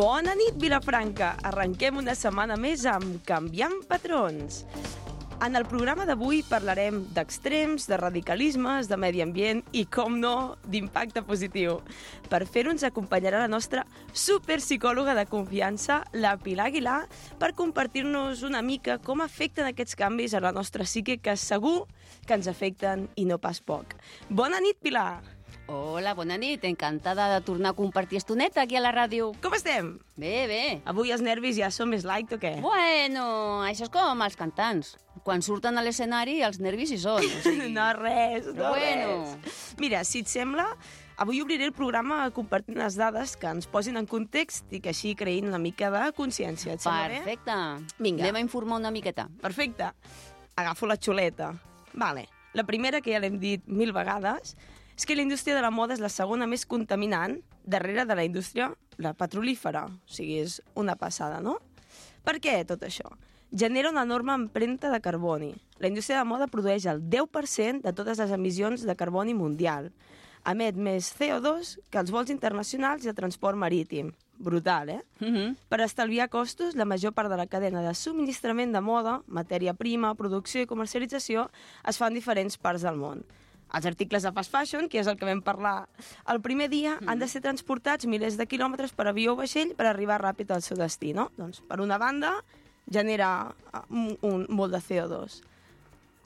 Bona nit, Vilafranca! Arrenquem una setmana més amb Canviant Patrons. En el programa d'avui parlarem d'extrems, de radicalismes, de medi ambient i, com no, d'impacte positiu. Per fer-ho ens acompanyarà la nostra superpsicòloga de confiança, la Pilar Aguilar, per compartir-nos una mica com afecten aquests canvis a la nostra psique, que segur que ens afecten i no pas poc. Bona nit, Pilar! Hola, bona nit. Encantada de tornar a compartir estoneta aquí a la ràdio. Com estem? Bé, bé. Avui els nervis ja són més light o què? Bueno, això és com els cantants. Quan surten a l'escenari, els nervis hi són. O sigui... No res. Mira, si et sembla, avui obriré el programa compartint les dades que ens posin en context i que així creïn una mica de consciència. Et sembla bé? Perfecte. Vinga. Anem a informar una miqueta. Perfecte. Agafo la xuleta. Vale. La primera, que ja l'hem dit 1000 vegades, és que la indústria de la moda és la segona més contaminant darrere de la indústria la petrolífera. O sigui, és una passada, no? Per què tot això? Genera una enorme empremta de carboni. La indústria de la moda produeix el 10% de totes les emissions de carboni mundial. Emet més CO2 que els vols internacionals i el transport marítim. Brutal, eh? Per estalviar costos, la major part de la cadena de subministrament de moda, matèria prima, producció i comercialització, es fa en diferents parts del món. Els articles de fast fashion, que és el que vam parlar el primer dia, han de ser transportats milers de quilòmetres per avió o vaixell per arribar ràpid al seu destí, no? Doncs, per una banda, genera molt de CO2.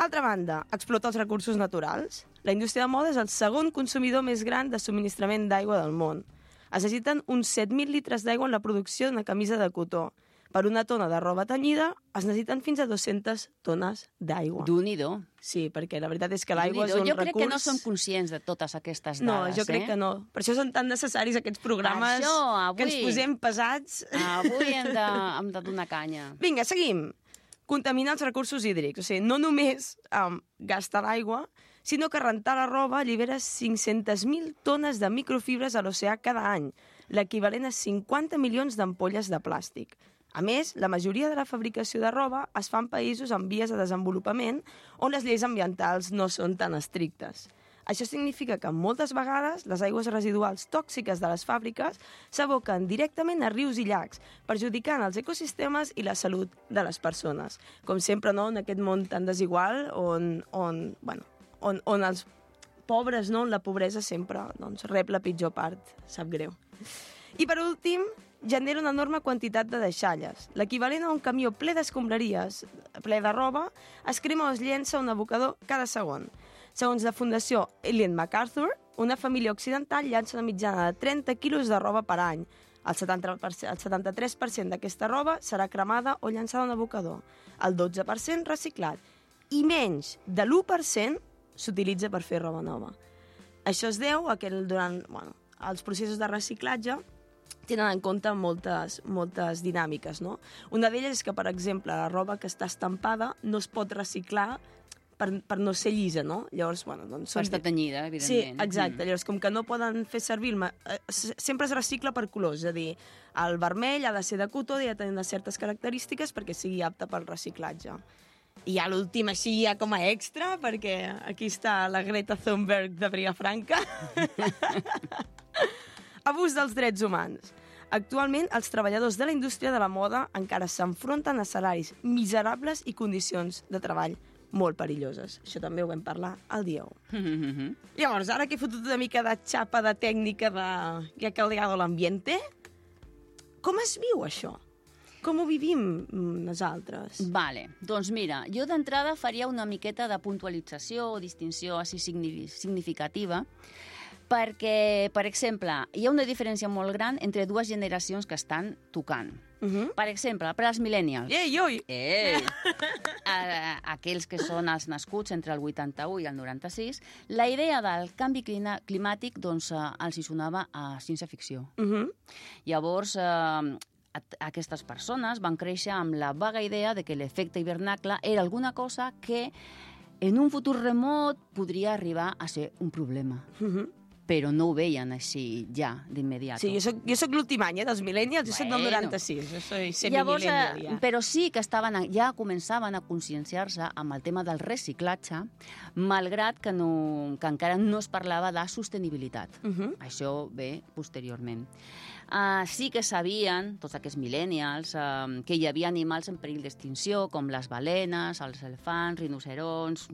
Altra banda, explota els recursos naturals. La indústria de moda és el segon consumidor més gran de subministrament d'aigua del món. Es necessiten uns 7.000 litres d'aigua en la producció d'una camisa de cotó. Per una tona de roba tenyida es necessiten fins a 200 tones d'aigua. Déu-n'hi-do. Sí, perquè la veritat és que l'aigua és un recurs... Jo crec que no som conscients de totes aquestes dades. No, jo crec que no. Per això són tan necessaris aquests programes que ens posem pesats. Avui hem de donar canya. Vinga, seguim. Contaminar els recursos hídrics. O sigui, no només gastar l'aigua, sinó que rentar la roba allibera 500.000 tones de microfibres a l'oceà cada any, l'equivalent a 50 milions d'ampolles de plàstic. A més, la majoria de la fabricació de roba es fa en països en vies de desenvolupament on les lleis ambientals no són tan estrictes. Això significa que moltes vegades les aigües residuals tòxiques de les fàbriques s'aboquen directament a rius i llacs, perjudicant els ecosistemes i la salut de les persones. Com sempre, no?, en aquest món tan desigual on els pobres, no?, la pobresa sempre rep la pitjor part, sap greu. I per últim, genera una enorme quantitat de deixalles. L'equivalent a un camió ple d'escombraries, ple de roba, es crema o es llença un abocador cada segon. Segons la Fundació Ellen MacArthur, una família occidental llança una mitjana de 30 quilos de roba per any. El 73% d'aquesta roba serà cremada o llançada a un abocador. El 12% reciclat. I menys de l'1% s'utilitza per fer roba nova. Això es deu a que durant els processos de reciclatge tenen en compte moltes dinàmiques, no? Una d'elles és que, per exemple, la roba que està estampada no es pot reciclar per no ser llisa, no? Llavors, doncs... Per estar tenyida, evidentment. Sí, exacte. Llavors, com que no poden fer servir... Sempre es recicla per colors, és a dir, el vermell ha de ser de cotó i ha de tenir certes característiques perquè sigui apte pel reciclatge. I ja l'últim, així, ja com a extra, perquè aquí està la Greta Thunberg de Vilafranca. Abús dels drets humans. Actualment, els treballadors de la indústria de la moda encara s'enfronten a salaris miserables i condicions de treball molt perilloses. Això també ho vam parlar el dia 1. Llavors, ara que he fotut una mica de xapa de tècnica que ha caldeado l'ambiente, com es viu això? Com ho vivim nosaltres? Vale, doncs mira, jo d'entrada faria una miqueta de puntualització o distinció així significativa, perquè, per exemple, hi ha una diferència molt gran entre dues generacions que estan tocant. Per exemple, per als millennials. Ei! Aquells que són els nascuts entre el 81 i el 96, la idea del canvi climàtic doncs, els hi sonava a ciència-ficció. Llavors, aquestes persones van créixer amb la vaga idea de que l'efecte hivernacle era alguna cosa que en un futur remot podria arribar a ser un problema. però no ho veien així ja, d'immediat. Sí, jo soc l'últim any, dels millennials, jo soc del 96, jo soy semi-millennial ja. Però sí que ja començaven a conscienciar-se amb el tema del reciclatge, malgrat que encara no es parlava de sostenibilitat. Això ve posteriorment. Sí que sabien, tots aquests millennials, que hi havia animals en perill d'extinció, com les balenes, els elefants, rinoceronts...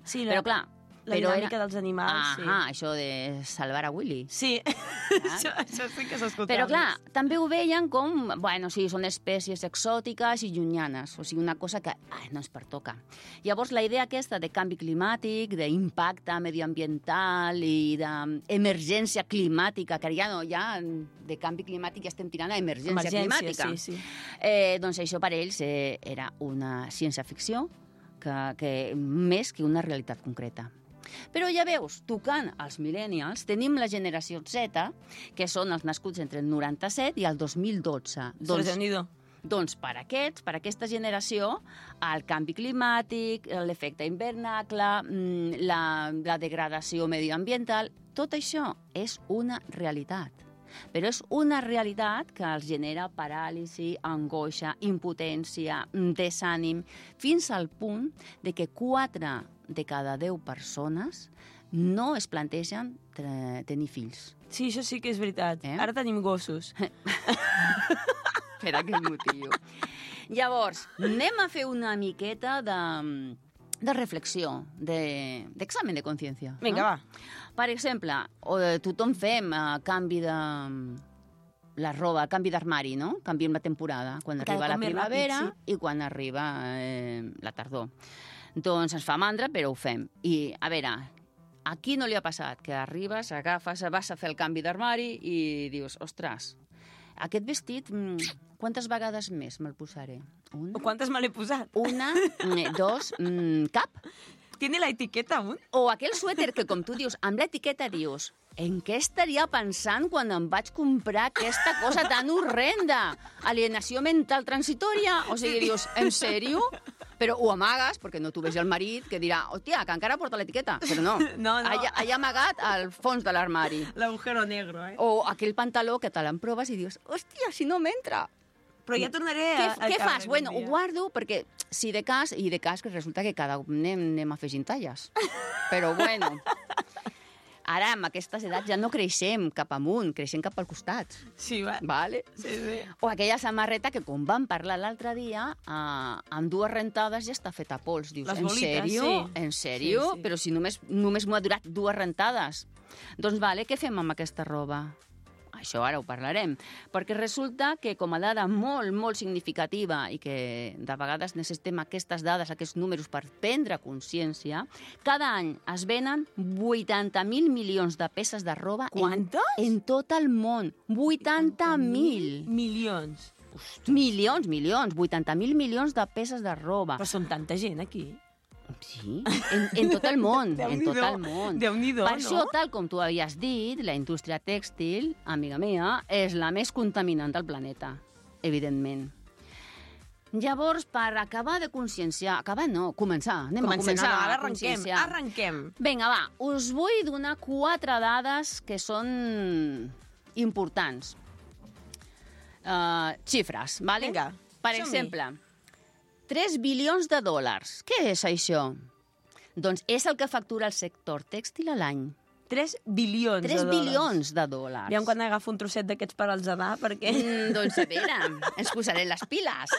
Sí, però clar... La dinàmica dels animals, sí. Això de salvar a Willy. Sí, això sí que s'escoltava. Però clar, també ho veien com, bueno, sí, són espècies exòtiques i llunyanes, o sigui, una cosa que no ens pertoca. Llavors, la idea aquesta de canvi climàtic, d'impacte medioambiental i d'emergència climàtica, que ja de canvi climàtic ja estem tirant a emergència climàtica. Sí. Doncs això per ells era una ciència-ficció que més que una realitat concreta. Però ja veus, tocant els millennials, tenim la generació Z, que són els nascuts entre el 97 i el 2012. Doncs per aquesta generació, el canvi climàtic, l'efecte hivernacle, la degradació medioambiental, tot això és una realitat. Però és una realitat que els genera paràlisi, angoixa, impotència, desànim, fins al punt de que 4 de cada 10 persones no es plantegen tenir fills. Sí, això sí que és veritat. Ara tenim gossos. Per aquest motiu. Llavors, anem a fer una miqueta de reflexió, d'examen de consciència. Vinga, va. Per exemple, tothom fem canvi de la roba, canvi d'armari, no? Canviem la temporada, quan arriba la primavera i quan arriba la tardor. Doncs ens fa mandra, però ho fem. I, a veure, a qui no li ha passat? Que arribes, agafes, vas a fer el canvi d'armari i dius, ostres, aquest vestit, quantes vegades més me'l posaré? Quantes me l'he posat? 1, 2, cap? Tiene la etiqueta aún? O aquell suèter que, com tu dius, amb l'etiqueta dius, en què estaria pensant quan em vaig comprar aquesta cosa tan horrenda? Alienació mental transitòria? O sigui, dius, en sèrio? Però ho amagues, perquè no t'ho vegi el marit, que dirà, hòstia, que encara porta l'etiqueta. Però no, allà amagat al fons de l'armari. L'agujero negro, O aquell pantaló que te l'emproves i dius, hòstia, si no m'entra. Però ja tornaré a... Què fas? Bueno, ho guardo perquè si de cas, i de cas que resulta que cada cop anem afegint talles. Però bueno, ara amb aquestes edats ja no creixem cap amunt, creixem cap al costat. Sí, va. Vale? Sí. O aquella samarreta que, com vam parlar l'altre dia, amb 2 rentades ja està feta a pols. Dius, les bolites, sí. En sèrio? Sí. Però si només m'ho ha durat 2 rentades. Doncs vale, què fem amb aquesta roba? Això ara ho parlarem, perquè resulta que com a dada molt, molt significativa i que de vegades necessitem aquestes dades, aquests números per prendre consciència, cada any es venen 80.000 milions de peces de roba. Quantes? En tot el món. 80.000 milions. Milions, 80.000 milions de peces de roba. Però són tanta gent aquí. Sí, en tot el món, en tot el món. Déu-n'hi-do, per això, tal com tu havies dit, la indústria tèxtil, amiga meva, és la més contaminant del planeta, evidentment. Llavors, per acabar de conscienciar... Acabar no, començar. Anem a començar. Ara arrenquem. Vinga, va, us vull donar 4 dades que són importants. Xifres, vale? Vinga, per exemple... 3 bilions de dòlars. Què és això? Doncs és el que factura el sector tèxtil a l'any. 3 bilions de dòlars. 3 bilions de dòlars. Aviam quan agafo un trosset d'aquests per als edar, perquè... Doncs a veure, ens posaré les piles.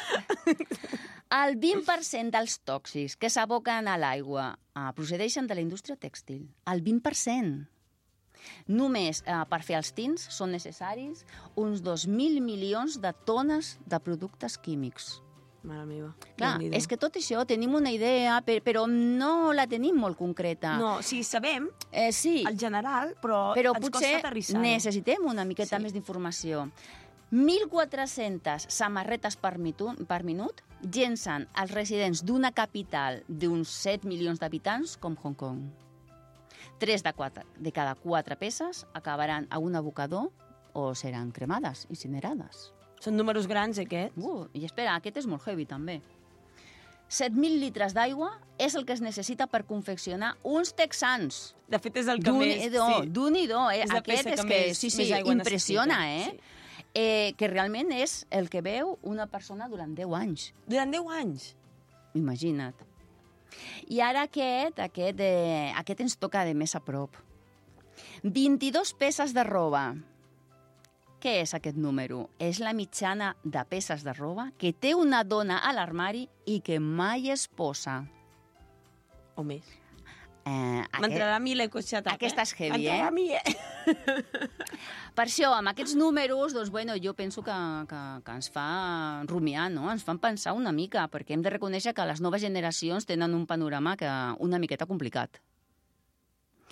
El 20% dels tòxics que s'aboquen a l'aigua procedeixen de la indústria tèxtil. El 20%. Només per fer els tints són necessaris uns 2.000 milions de tones de productes químics. Mare meva. Clar, és que tot això tenim una idea, però no la tenim molt concreta. No, sí, sabem el general, però ens costa aterrissar-ho. Però potser necessitem una miqueta més d'informació. 1.400 samarretes per minut llencen els residents d'una capital d'uns 7 milions d'habitants com Hong Kong. 3 de cada 4 peces acabaran a un abocador o seran cremades, incinerades. Són números grans, aquests. I espera, aquest és molt heavy, també. 7.000 litres d'aigua és el que es necessita per confeccionar uns texans. De fet, és el que més... D'un-i-do. Aquest és que, sí, impressiona, que realment és el que veu una persona durant 10 anys. Durant 10 anys? Imagina't. I ara aquest ens toca de més a prop. 22 peces de roba. Què és aquest número? És la mitjana de peces de roba que té una dona a l'armari i que mai es posa. O més. M'entrarà a mi l'ecoixatat. Aquesta és heavy, M'entrarà a mi, Per això, amb aquests números, doncs, jo penso que ens fa rumiar, no? Ens fan pensar una mica, perquè hem de reconèixer que les noves generacions tenen un panorama una miqueta complicat.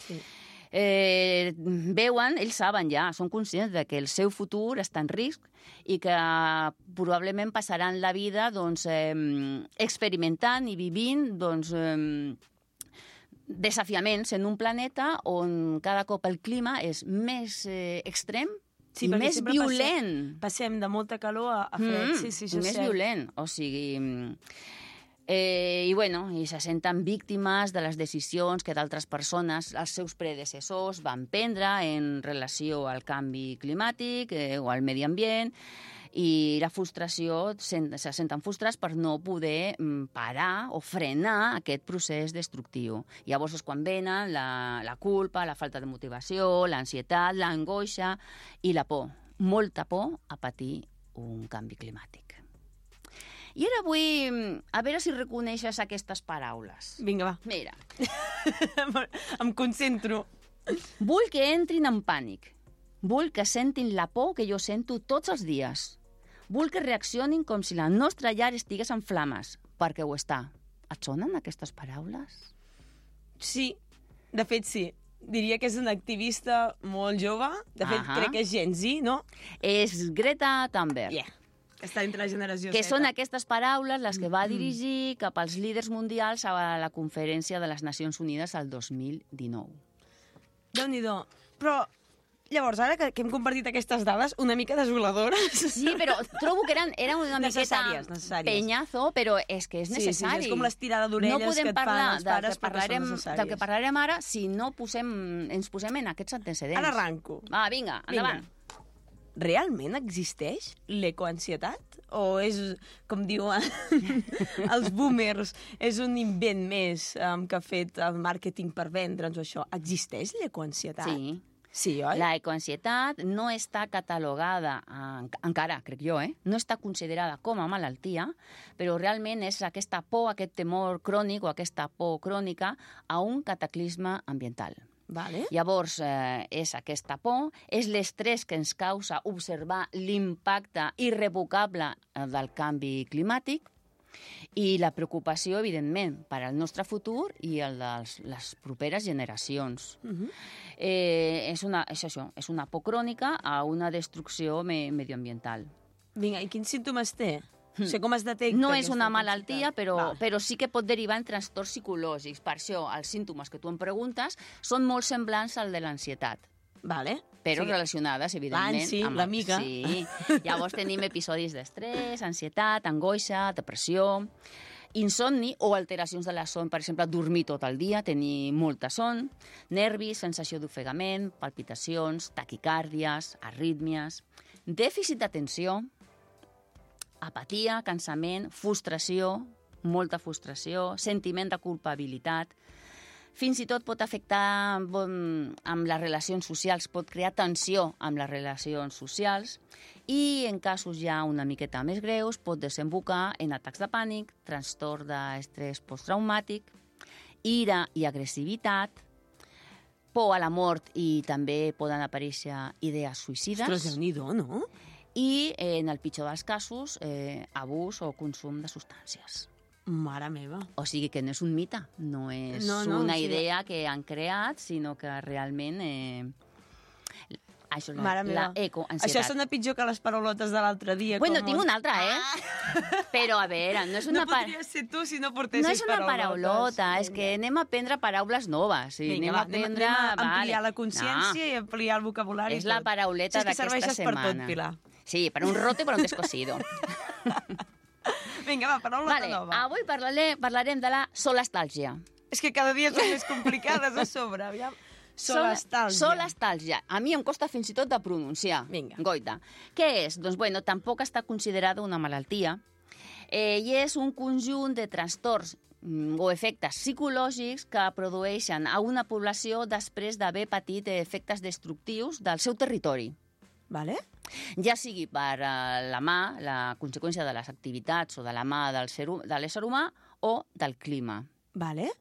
Sí. Veuen, ells saben ja, són conscients de que el seu futur està en risc i que probablement passaran la vida experimentant i vivint desafiaments en un planeta on cada cop el clima és més extrem i més violent. Passem de molta calor a fred, sí, més violent, o sigui... I se senten víctimes de les decisions que d'altres persones, els seus predecessors, van prendre en relació al canvi climàtic o al medi ambient, i la frustració, se senten frustrats per no poder parar o frenar aquest procés destructiu. Llavors és quan venen la culpa, la falta de motivació, l'ansietat, l'angoixa i la por. Molta por a patir un canvi climàtic. I ara vull a veure si reconeixes aquestes paraules. Vinga, va. Mira. Em concentro. Vull que entrin en pànic. Vull que sentin la por que jo sento tots els dies. Vull que reaccionin com si la nostra llar estigués en flames, perquè ho està. Et sonen aquestes paraules? Sí, de fet sí. Diria que és una activista molt jove. De fet, crec que és Gen Z, no? És Greta Thunberg. Yeah. Està entre la generació que Z. Són aquestes paraules les que va dirigir cap als líders mundials a la Conferència de les Nacions Unides el 2019. Déu-n'hi-do. Però, llavors, ara que hem compartit aquestes dades, una mica desoladores... Sí, però trobo que eren una miqueta penyazo, però és que és necessari. Sí, és com l'estirada d'orelles que et fan els pares perquè són necessàries. Del que parlarem ara si no ens posem en aquests antecedents. Ara arranco. Va, vinga, endavant. Realment existeix l'ecoansietat? O és, com diuen els boomers, és un invent més que ha fet el màrqueting per vendre'ns o això? Existeix l'ecoansietat? Sí. Sí, oi? La ecoansietat no està catalogada, encara, crec jo, no està considerada com a malaltia, però realment és aquesta por, aquest temor crònic o aquesta por crònica a un cataclisme ambiental. Vale. Llavors, és aquesta por, és l'estrès que ens causa observar l'impacte irrevocable del canvi climàtic i la preocupació, evidentment, per al nostre futur i el de les properes generacions. És això, és una por crònica a una destrucció medioambiental. Vinga, i quins símptomes té? O sigui, com es detecta? No és una malaltia, però sí que pot derivar en trastorns psicològics. Per això, els símptomes que tu em preguntes són molt semblants al de l'ansietat. Vale. Però relacionades, evidentment. L'ansi, l'amiga. Sí. Llavors tenim episodis d'estrès, ansietat, angoixa, depressió, insomni o alteracions de la son, per exemple, dormir tot el dia, tenir molta son, nervis, sensació d'ofegament, palpitacions, taquicàrdies, arrítmies, dèficit d'atenció, apatia, cansament, frustració, molta frustració, sentiment de culpabilitat. Fins i tot pot afectar amb les relacions socials, pot crear tensió amb les relacions socials i en casos ja una miqueta més greus pot desembocar en atacs de pànic, trastorn d'estrès posttraumàtic, ira i agressivitat, por a la mort i també poden aparèixer idees suïcides. Ostres, Déu-n'hi-do, no? I, en el pitjor dels casos, abús o consum de substàncies. Mare meva. O sigui que no és un mite, no és una idea que han creat, sinó que realment... Això és la ecoansietat. Això sona pitjor que les paraulotes de l'altre dia. Bueno, tinc una altra, Però, a veure, no és una... No podries ser tu si no portessis paraulotes. No és una paraulota, és que anem a aprendre paraules noves. Vinga, anem a ampliar la consciència i ampliar el vocabulari. És la parauleta d'aquesta setmana. És que serveixes per tot, Pilar. Sí, per un roto i per un descosido. Vinga, va, paraula nova. Avui parlarem de la solastàlgia. És que cada dia són més complicades a sobre, aviam. Solastàlgia. Solastàlgia. A mi em costa fins i tot de pronunciar. Vinga. Goita. Què és? Doncs, bueno, tampoc està considerada una malaltia i és un conjunt de trastorns o efectes psicològics que produeixen a una població després d'haver patit efectes destructius del seu territori. Vale. Ja sigui per la conseqüència de les activitats o de la mà de l'ésser humà o del clima. Vale.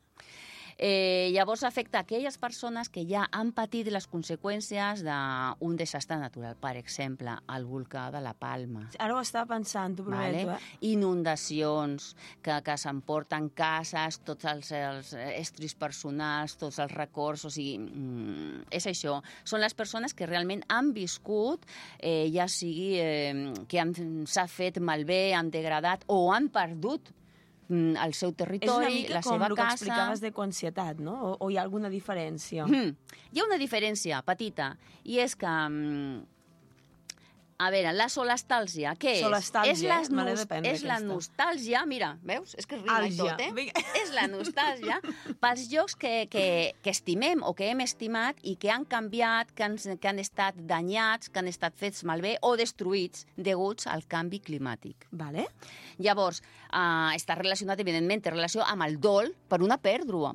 Llavors afecta aquelles persones que ja han patit les conseqüències d'un desastre natural, per exemple, el volcà de la Palma. Ara ho estava pensant, t'ho prometo. Inundacions que s'emporten cases, tots els estris personals, tots els records, o sigui, és això. Són les persones que realment han viscut, ja sigui que s'ha fet malbé, han degradat o han perdut el seu territori, la seva casa... És una mica com el que explicaves d'ecoansietat, no? O hi ha alguna diferència? Hi ha una diferència petita, i és que... A veure, la solastàlgia, què és? Solastàlgia, és la nostàlgia, mira, veus? És que rima i tot, És la nostàlgia pels llocs que estimem o que hem estimat i que han canviat, que han estat danyats, que han estat fets malbé o destruïts deguts al canvi climàtic. Vale. Llavors, està relacionat, evidentment, té relació amb el dol per una pèrdua.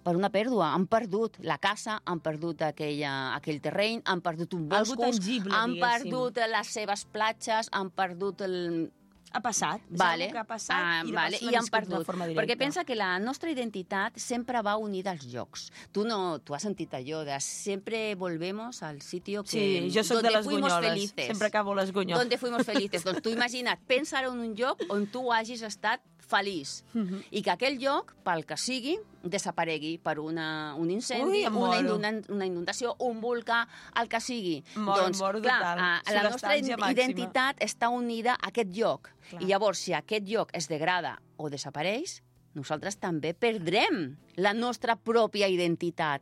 Han perdut la casa, han perdut aquell terreny, han perdut un boscos, han perdut les seves platges, han perdut el... Ha passat. Vale. Que ha passat i han perdut. Perquè pensa que la nostra identitat sempre va unida als llocs. Tu has sentit allò de sempre volvemos al sitio que... Sí, jo soc de les Gunyoles. Sempre acabo les Gunyoles. Donde fuimos felices. Doncs tu imagina't, pensa en un lloc on tu hagis estat feliç i que aquell lloc, pel que sigui, desaparegui per un incendi, una inundació, un volcà, el que sigui. Doncs, clar, la nostra identitat està unida a aquest lloc. I llavors, si aquest lloc es degrada o desapareix, nosaltres també perdrem la nostra pròpia identitat.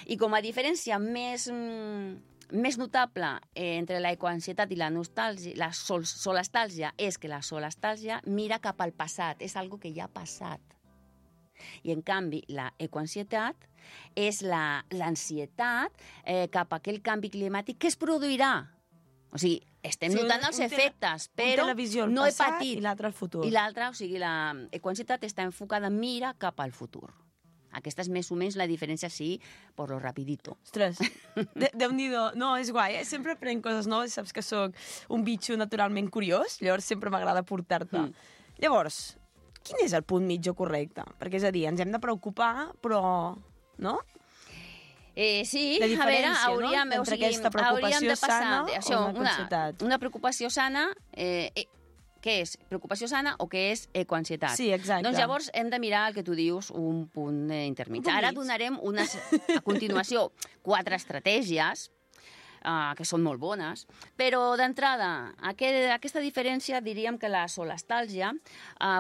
I com a diferència més notable entre la ecoansietat i la nostàlgia, la solastàlgia, és que la solastàlgia mira cap al passat, és algo que ja ha passat. I, en canvi, la ecoansietat és l'ansietat cap a aquell canvi climàtic que es produirà. O sigui, estem notant els efectes, però no he patit. I l'altre al futur. I l'altre, o sigui, la ecoansietat està enfocada, mira cap al futur. Aquesta és més o menys la diferència, sí, per lo rapidito. Ostres, Déu-n'hi-do. No, és guai, Sempre aprenc coses noves, saps que sóc un bitxo naturalment curiós, llavors sempre m'agrada portar-te. Llavors, quin és el punt mitjà correcte? Perquè, és a dir, ens hem de preocupar, però... No? Sí, a veure, hauríem de passar una preocupació sana... Què és? Preocupació sana o què és ecoansietat? Sí, exacte. Doncs llavors hem de mirar el que tu dius, un punt intermig. Ara donarem a continuació 4 estratègies que són molt bones, però d'entrada, aquesta diferència diríem que la solastàlgia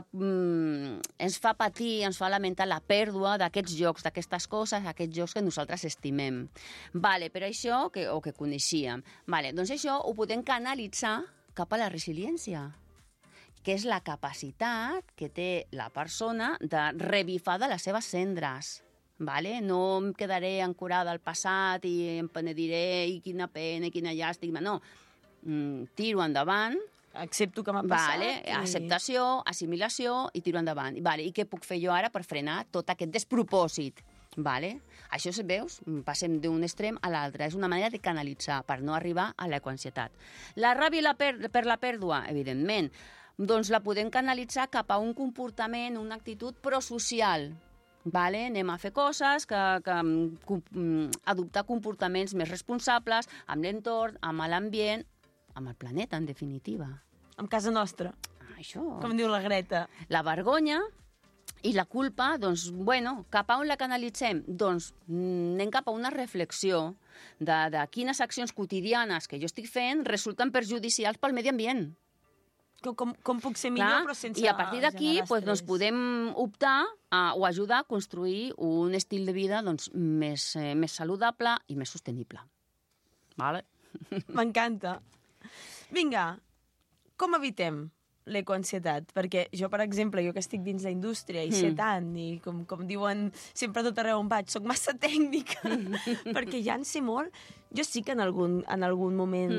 ens fa patir, ens fa lamentar la pèrdua d'aquests llocs, d'aquestes coses, aquests llocs que nosaltres estimem. Vale, per això, o que coneixíem. Vale, doncs això ho podem canalitzar cap a la resiliència, que és la capacitat que té la persona de revifar de les seves cendres. Vale? No em quedaré ancorada al passat i em penediré i quina pena i quina llàstima. No, tiro endavant. Accepto que m'ha passat. Vale, acceptació, assimilació i tiro endavant. Vale, i què puc fer jo ara per frenar tot aquest despropòsit? Vale? Això, veus, passem d'un extrem a l'altre. És una manera de canalitzar per no arribar a l'ecoansietat. La ràbia per la pèrdua, evidentment, doncs la podem canalitzar cap a un comportament, una actitud prosocial. Vale? Anem a fer coses, adoptar comportaments més responsables amb l'entorn, amb l'ambient, amb el planeta, en definitiva. Amb casa nostra. Això. Com diu la Greta. La vergonya i la culpa, doncs, bueno, cap a on la canalitzem? Doncs anem cap a una reflexió de quines accions quotidianes que jo estic fent resulten perjudicials pel medi ambient. Com puc ser millor, però sense... I a partir d'aquí doncs, podem optar o ajudar a construir un estil de vida doncs, més saludable i més sostenible. Vale? M'encanta. Vinga, com evitem l'ecoansietat? Perquè jo, per exemple, jo que estic dins la indústria i sé tant, i com diuen sempre a tot arreu on vaig, soc massa tècnica, perquè ja en sé molt. Jo sí que en algun moment,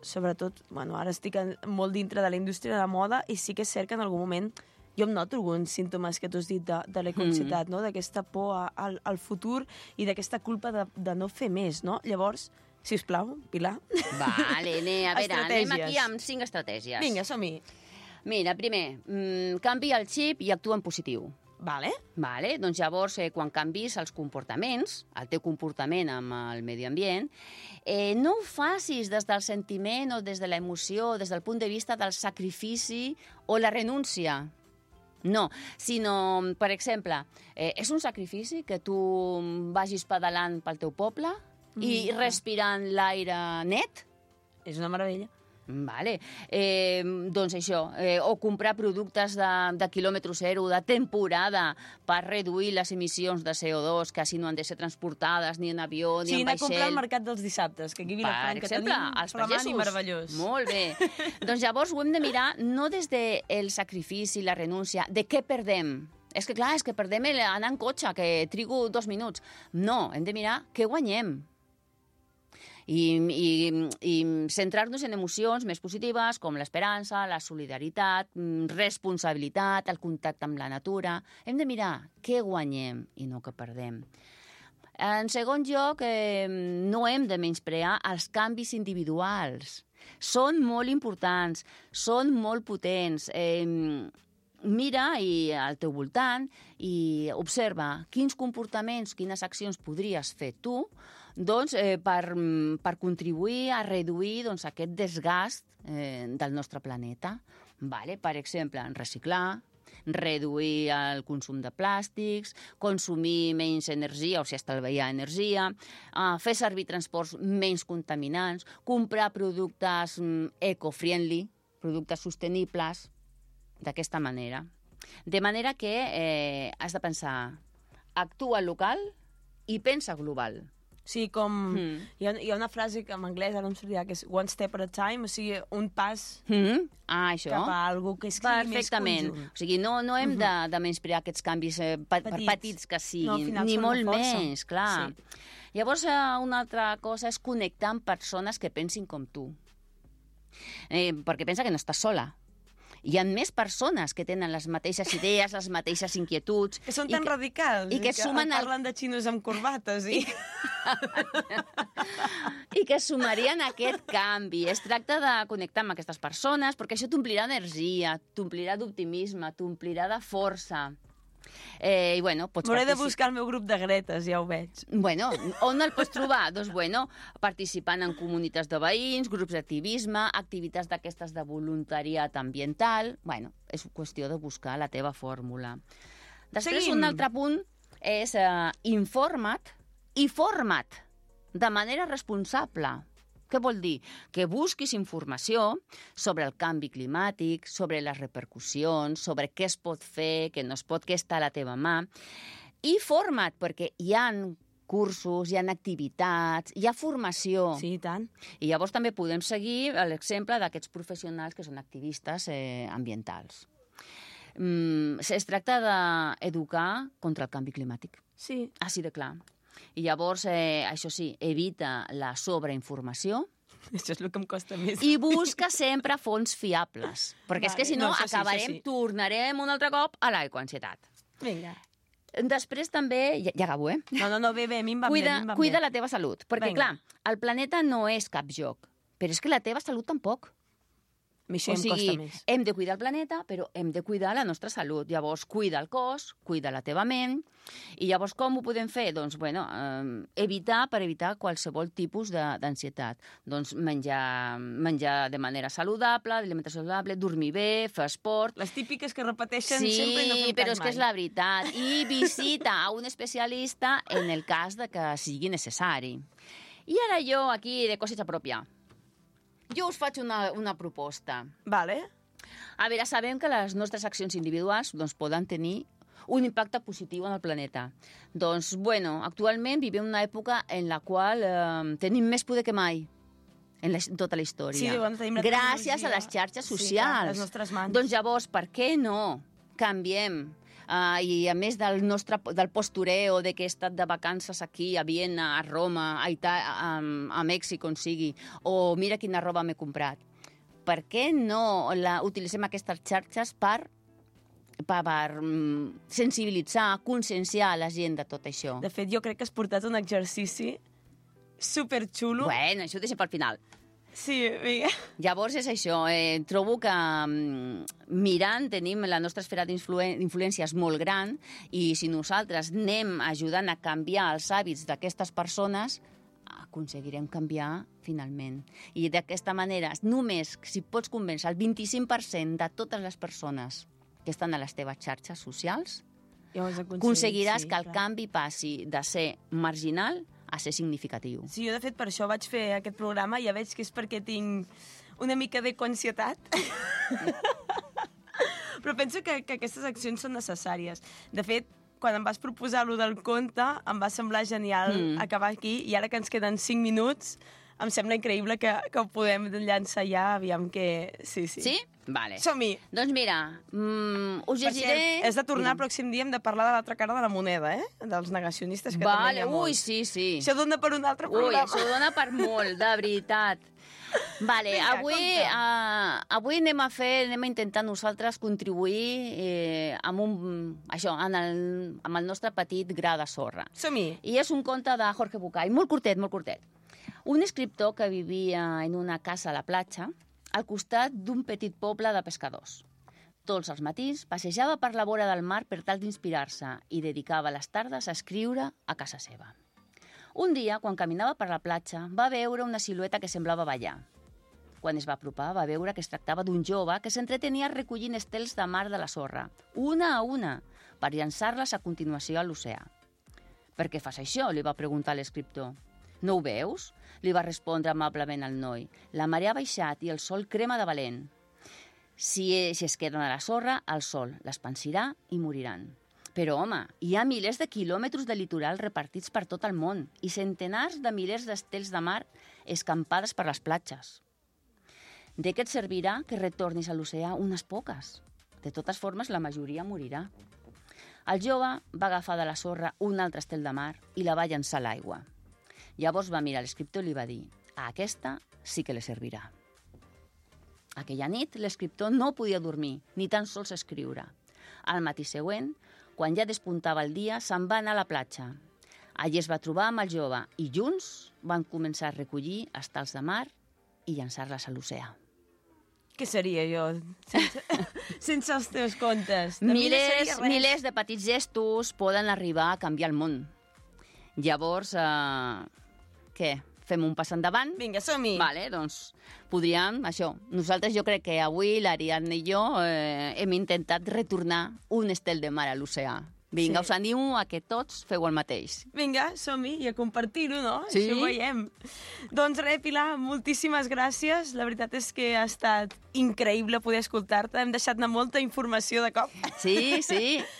sobretot, bueno, ara estic molt dintre de la indústria de la moda i sí que és cert que en algun moment jo em noto alguns símptomes que tu has dit de l'ecoansietat, no? D'aquesta por al futur i d'aquesta culpa de no fer més, no? Llavors, si us plau, Pilar. Vale, a veure, anem aquí amb 5 estratègies. Vinga, som-hi. Mira, primer, canvia el xip i actua en positiu. Vale. Doncs llavors, quan canvis els comportaments, el teu comportament amb el medi ambient, no ho facis des del sentiment o des de l'emoció, des del punt de vista del sacrifici o la renúncia. No, sinó, per exemple, és un sacrifici que tu vagis pedalant pel teu poble i respirant l'aire net? És una meravella. Vale. Doncs això, o comprar productes de quilòmetre zero, de temporada, per reduir les emissions de CO2, que així no han de ser transportades ni en avió ni en vaixell. Sí, anar a comprar al mercat dels dissabtes, que aquí a Vilafranca que tenim flamant i meravellós. Molt bé. Doncs llavors ho hem de mirar no des del sacrifici, la renúncia, de què perdem. És que clar, és que perdem anar en cotxe, que trigo 2 minuts. No, hem de mirar què guanyem. I centrar-nos en emocions més positives com l'esperança, la solidaritat, responsabilitat, el contacte amb la natura. Hem de mirar què guanyem i no què perdem. En segon lloc, no hem de menysprear els canvis individuals. Són molt importants, són molt potents. Mira al teu voltant i observa quins comportaments, quines accions podries fer tu per contribuir a reduir aquest desgast del nostre planeta. Per exemple, reciclar, reduir el consum de plàstics, consumir menys energia, o sigui, estalviar energia, fer servir transports menys contaminants, comprar productes eco-friendly, productes sostenibles, d'aquesta manera. De manera que has de pensar, actua local i pensa global. Sí, com... Hi ha una frase que en anglès ara em sortirà, que és one step at a time, o sigui, un pas això. Cap a alguna cosa que sigui més conjunt. O sigui, no hem de menysprear aquests canvis per petits que siguin, ni molt més, clar. Sí. Llavors, una altra cosa és connectar amb persones que pensin com tu. Perquè pensa que no estàs sola. Hi ha més persones que tenen les mateixes idees, les mateixes inquietuds. Que són tan radicals i que parlen de xinos amb corbates. I que sumarien aquest canvi. Es tracta de connectar amb aquestes persones perquè això t'omplirà d'energia, t'omplirà d'optimisme, t'omplirà de força. I bueno, pots m'hauré de buscar el meu grup de Gretes, ja ho veig. Bueno, on el pots trobar? Doncs bueno, participant en comunitats de veïns, grups d'activisme, activitats d'aquestes de voluntariat ambiental. Bueno, és qüestió de buscar la teva fórmula. Després, un altre punt és informa't i forma't de manera responsable. Què vol dir? Que busquis informació sobre el canvi climàtic, sobre les repercussions, sobre què es pot fer, què no es pot, què està a la teva mà. I forma't, perquè hi ha cursos, hi ha activitats, hi ha formació. Sí, i tant. I llavors també podem seguir l'exemple d'aquests professionals que són activistes ambientals. Es tracta d'educar contra el canvi climàtic. Sí. Així de clar. I llavors, això sí, evita la sobreinformació. Això és el que em costa més. I busca sempre fonts fiables. Perquè és que si no, tornarem un altre cop a l'ecoansietat. Vinga. Després també... Ja acabo, No, bé, a mi em va bé. Cuida la teva salut. Perquè, clar, el planeta no és cap joc. Però és que la teva salut tampoc. Això em costa més. Hem de cuidar el planeta, però hem de cuidar la nostra salut. Llavors, cuida el cos, cuida la teva ment. I llavors, com ho podem fer? Doncs, evitar qualsevol tipus d'ansietat. Doncs menjar de manera saludable, alimentació saludable, dormir bé, fer esport. Les típiques que repeteixen sempre i no fem cas mai. Sí, però és que és la veritat. I visita a un especialista en el cas de que sigui necessari. I ara jo, aquí, de coseta pròpia. Jo us faig una proposta. Vale. A veure, sabem que les nostres accions individuals poden tenir un impacte positiu en el planeta. Doncs, actualment vivim una època en la qual tenim més poder que mai. en tota la història. Sí, bueno, tenim la gràcies tecnologia. a les xarxes Sí, socials. clar, les nostres mans. Doncs llavors, per què no canviem? I a més del postureo de que he estat de vacances aquí, a Viena, a Roma, a Mèxic, on sigui, o mira quina roba m'he comprat. Per què no utilitzem aquestes xarxes per sensibilitzar, conscienciar la gent de tot això? De fet, jo crec que has portat un exercici superxulo. Bueno, això ho deixo pel final. Sí, vinga. Llavors és això, trobo que mirant tenim la nostra esfera d'influència és molt gran i si nosaltres anem ajudant a canviar els hàbits d'aquestes persones, aconseguirem canviar finalment. I d'aquesta manera, només si pots convèncer el 25% de totes les persones que estan a les teves xarxes socials, aconseguiràs que el canvi passi de ser marginal a ser significatiu. Sí, jo de fet per això vaig fer aquest programa i ja veig que és perquè tinc una mica de ansietat. Però penso que aquestes accions són necessàries. De fet, quan em vas proposar lo del conte, em va semblar genial acabar aquí i ara que ens queden 5 minuts, em sembla increïble que ho podem llançar ja, aviam que... Sí? Vale. Som-hi! Doncs mira, us llegiré... És de tornar el pròxim dia, hem de parlar de l'altra cara de la moneda, dels negacionistes, que també hi ha molts. Ui, sí. Això dona per un altre programa. Ui, això dona per molt, de veritat. Vale, Vinga, avui anem a intentar nosaltres contribuir amb el nostre petit gra de sorra. Som-hi! I és un conte de Jorge Bucay, molt curtet. Un escriptor que vivia en una casa a la platja, al costat d'un petit poble de pescadors. Tots els matins passejava per la vora del mar per tal d'inspirar-se i dedicava les tardes a escriure a casa seva. Un dia, quan caminava per la platja, va veure una silueta que semblava ballar. Quan es va apropar, va veure que es tractava d'un jove que s'entretenia recollint estels de mar de la sorra, una a una, per llançar-les a continuació a l'oceà. «Per què fas això?», li va preguntar l'escriptor. «No ho veus?», li va respondre amablement el noi. «La marea ha baixat i el sol crema de valent. Si es queden a la sorra, el sol les pansirà i moriran. Però, home, hi ha milers de quilòmetres de litoral repartits per tot el món i centenars de milers d'estels de mar escampades per les platges. De què et servirà que retornis a l'oceà unes poques? De totes formes, la majoria morirà». El jove va agafar de la sorra un altre estel de mar i la va llançar a l'aigua. Llavors va mirar l'escriptor i li va dir: «A aquesta sí que li servirà». Aquella nit l'escriptor no podia dormir, ni tan sols escriure. Al matí següent, quan ja despuntava el dia, se'n va anar a la platja. Allí es va trobar amb el jove i junts van començar a recollir estels de mar i llançar-les a l'oceà. Què seria jo sense els teus contes? Milers de petits gestos poden arribar a canviar el món. Llavors, què? Fem un pas endavant? Vinga, som-hi! Vale, doncs podríem, això. Nosaltres jo crec que avui l'Ariadna i jo hem intentat retornar un estel de mar a l'oceà. Vinga, us animo a que tots feu el mateix. Vinga, som-hi i a compartir-ho, no? Sí. Això ho veiem. Doncs res, Pilar, moltíssimes gràcies. La veritat és que ha estat increïble poder escoltar-te. Hem deixat anar molta informació de cop. Sí,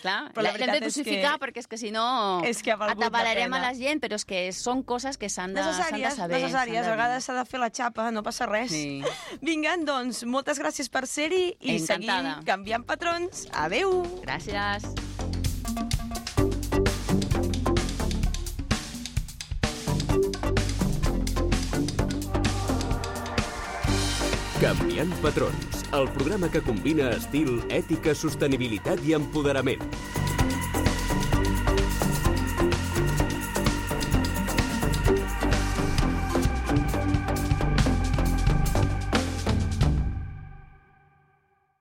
clar. L'hem de dosificar perquè és que si no atabalarem a la gent, però és que són coses que s'han de saber. Necessàries. A vegades s'ha de fer la xapa, no passa res. Sí. Vinga, doncs, moltes gràcies per ser-hi i encantada. seguim canviant patrons. Adéu! Gràcies. Canviant patrons, el programa que combina estil, ètica, sostenibilitat i empoderament.